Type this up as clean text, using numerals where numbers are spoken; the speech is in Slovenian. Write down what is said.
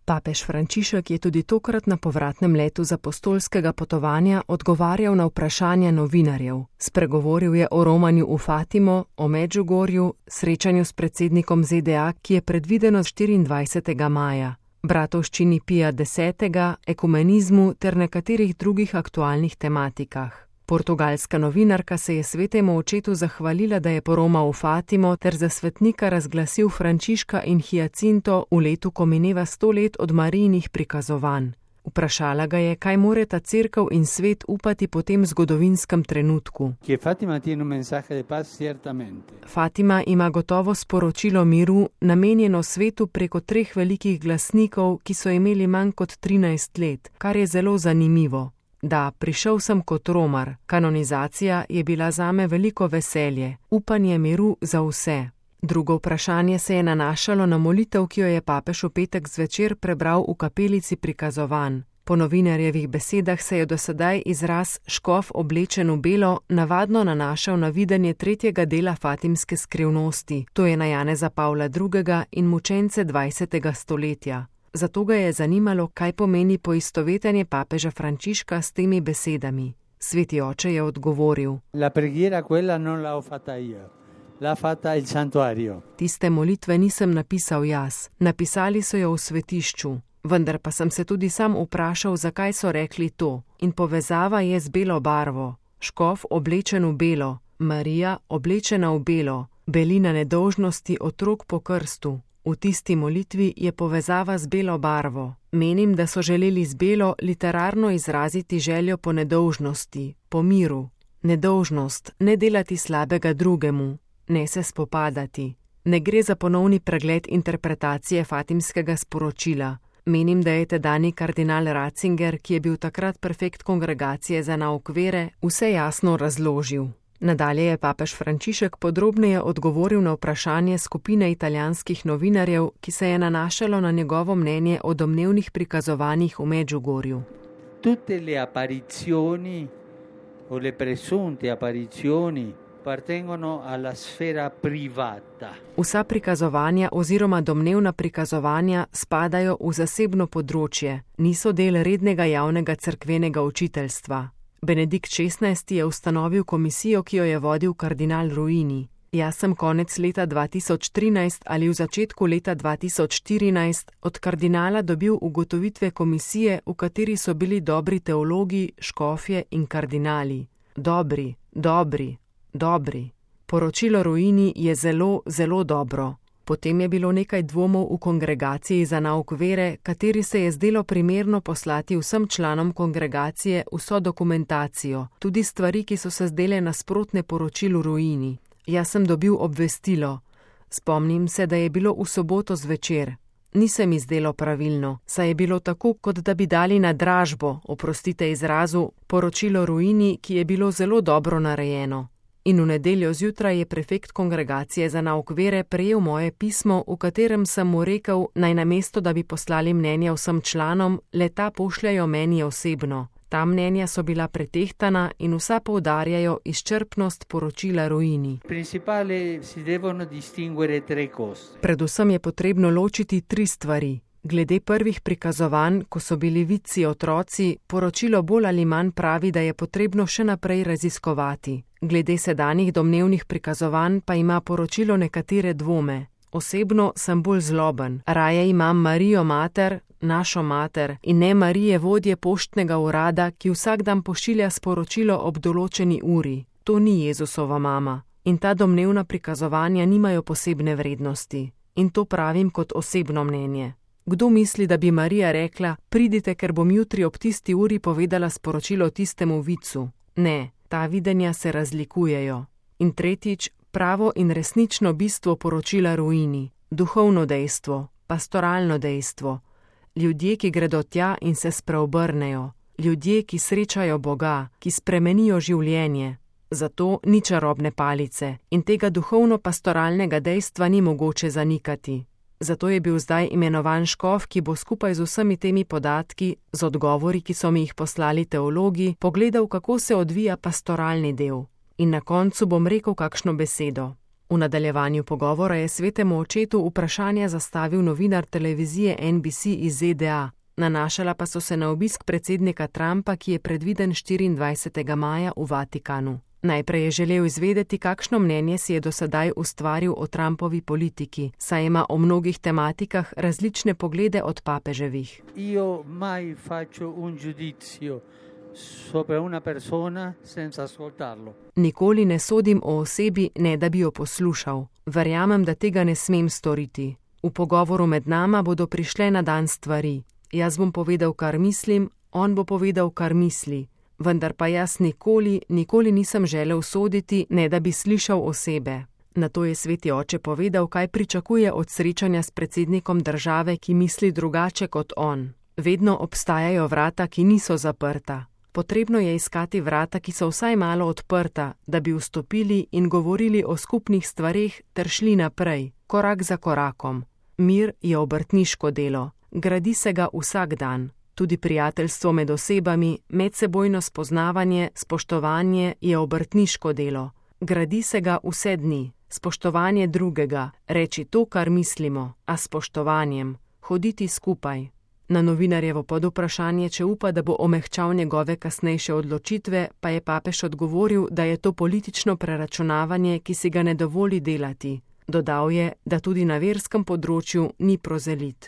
Papež Frančišek je tudi tokrat na povratnem letu z apostolskega potovanja odgovarjal na vprašanja novinarjev. Spregovoril je o romanju v Fatimo, o Medžugorju, srečanju s predsednikom ZDA, ki je predvideno 24. maja, bratovščini Pija X, ekumenizmu ter nekaterih drugih aktualnih tematikah. Portugalska novinarka se je svetemu očetu zahvalila, da je poromal v Fatimo ter za svetnika razglasil Frančiška in Hiacinto v letu, ko mineva 100 let od Marijinih prikazovanj. Vprašala ga je, kaj morata cerkev in svet upati po tem zgodovinskem trenutku. Fatima ima gotovo sporočilo miru, namenjeno svetu preko 3 velikih glasnikov, ki so imeli manj kot 13 let, kar je zelo zanimivo. Da, prišel sem kot romar. Kanonizacija je bila zame veliko veselje, upanje miru za vse. Drugo vprašanje se je nanašalo na molitev, ki jo je papež v petek zvečer prebral v kapelici prikazovanj. Po novinarjevih besedah se je do sedaj izraz škof oblečen v belo navadno nanašal na videnje 3. dela Fatimske skrivnosti, to je na Janeza Pavla II. In mučence 20. stoletja. Zato ga je zanimalo, kaj pomeni poistovetenje papeža Frančiška s temi besedami. Sveti oče je odgovoril: Tiste molitve nisem napisal jaz, napisali so jo v svetišču, vendar pa sem se tudi sam vprašal, zakaj so rekli to. In povezava je z belo barvo. Škof oblečen v belo, Marija oblečena v belo, belina nedolžnosti otrok po krstu. V tisti molitvi je povezava z belo barvo. Menim, da so želeli z belo literarno izraziti željo po nedolžnosti, po miru. Nedolžnost, ne delati slabega drugemu, ne se spopadati. Ne gre za ponovni pregled interpretacije fatimskega sporočila. Menim, da je tedanji kardinal Ratzinger, ki je bil takrat prefekt kongregacije za nauk vere, vse jasno razložil. Nadalje je papež Frančišek podrobneje odgovoril na vprašanje skupine italijanskih novinarjev, ki se je nanašalo na njegovo mnenje o domnevnih prikazovanjih v Medžugorju. Tutte le apparizioni o le presunte apparizioni appartengono alla sfera privata. Vsa prikazovanja oziroma domnevna prikazovanja spadajo v zasebno področje, niso del rednega javnega cerkvenega učiteljstva. Benedikt XVI. Je ustanovil komisijo, ki jo je vodil kardinal Ruini. Jaz sem konec leta 2013 ali v začetku leta 2014 od kardinala dobil ugotovitve komisije, v kateri so bili dobri teologi, škofje in kardinali. Dobri, dobri, dobri. Poročilo Ruini je zelo, zelo dobro. Potem je bilo nekaj dvomov v kongregaciji za nauk vere, kateri se je zdelo primerno poslati vsem članom kongregacije vso dokumentacijo, tudi stvari, ki so se zdele nasprotne poročilu Ruini. Jaz sem dobil obvestilo. Spomnim se, da je bilo v soboto zvečer. Ni se mi zdelo pravilno, saj je bilo tako, kot da bi dali na dražbo, oprostite izrazu, poročilo Ruini, ki je bilo zelo dobro narejeno. In v nedeljo zjutraj je prefekt kongregacije za nauk vere prejel moje pismo, v katerem sem mu rekel, naj namesto, da bi poslali mnenja vsem članom, le-ta pošljajo meni osebno. Ta mnenja so bila pretehtana in vsa poudarjajo izčrpnost poročila Ruini. Predvsem je potrebno ločiti 3 stvari. Glede prvih prikazovanj, ko so bili vidci otroci, poročilo bolj ali manj pravi, da je potrebno še naprej raziskovati. Glede sedanjih domnevnih prikazovanj pa ima poročilo nekatere dvome. Osebno sem bolj zloben. Raje imam Marijo mater, našo mater, in ne Marije vodje poštnega urada, ki vsak dan pošilja sporočilo ob določeni uri. To ni Jezusova mama. In ta domnevna prikazovanja nimajo posebne vrednosti. In to pravim kot osebno mnenje. Kdo misli, da bi Marija rekla, pridite, ker bom jutri ob tisti uri povedala sporočilo tistemu vicu? Ne, ta videnja se razlikujejo. In tretjič, pravo in resnično bistvo poročila Ruini, duhovno dejstvo, pastoralno dejstvo, ljudje, ki gredo tja in se spreobrnejo, ljudje, ki srečajo Boga, ki spremenijo življenje. Zato ni čarobne palice in tega duhovno-pastoralnega dejstva ni mogoče zanikati. Zato je bil zdaj imenovan škof, ki bo skupaj z vsemi temi podatki, z odgovori, ki so mi jih poslali teologi, pogledal, kako se odvija pastoralni del. In na koncu bom rekel kakšno besedo. V nadaljevanju pogovora je svetemu očetu vprašanje zastavil novinar televizije NBC iz ZDA. Nanašala pa so se na obisk predsednika Trumpa, ki je predviden 24. maja v Vatikanu. Najprej je želel izvedeti, kakšno mnenje si je do sedaj ustvaril o Trumpovi politiki, saj ima o mnogih tematikah različne poglede od papeževih. Io mai faccio un giudizio sopra una persona senza ascoltarlo. Nikoli ne sodim o osebi, ne da bi jo poslušal. Verjamem, da tega ne smem storiti. V pogovoru med nama bodo prišle na dan stvari. Jaz bom povedal, kar mislim, on bo povedal, kar misli. Vendar pa jaz nikoli nisem želel soditi, ne da bi slišal osebe. Nato je sveti oče povedal, kaj pričakuje od srečanja s predsednikom države, ki misli drugače kot on. Vedno obstajajo vrata, ki niso zaprta. Potrebno je iskati vrata, ki so vsaj malo odprta, da bi vstopili in govorili o skupnih stvareh ter šli naprej, korak za korakom. Mir je obrtniško delo. Gradi se ga vsak dan. Tudi prijateljstvo med osebami, medsebojno spoznavanje, spoštovanje je obrtniško delo. Gradi se ga vse dni. Spoštovanje drugega, reči to, kar mislimo, a spoštovanjem, hoditi skupaj. Na novinarjevo podvprašanje, če upa, da bo omehčal njegove kasnejše odločitve, pa je papež odgovoril, da je to politično preračunavanje, ki si ga ne dovoli delati. Dodal je, da tudi na verskem področju ni prozelit.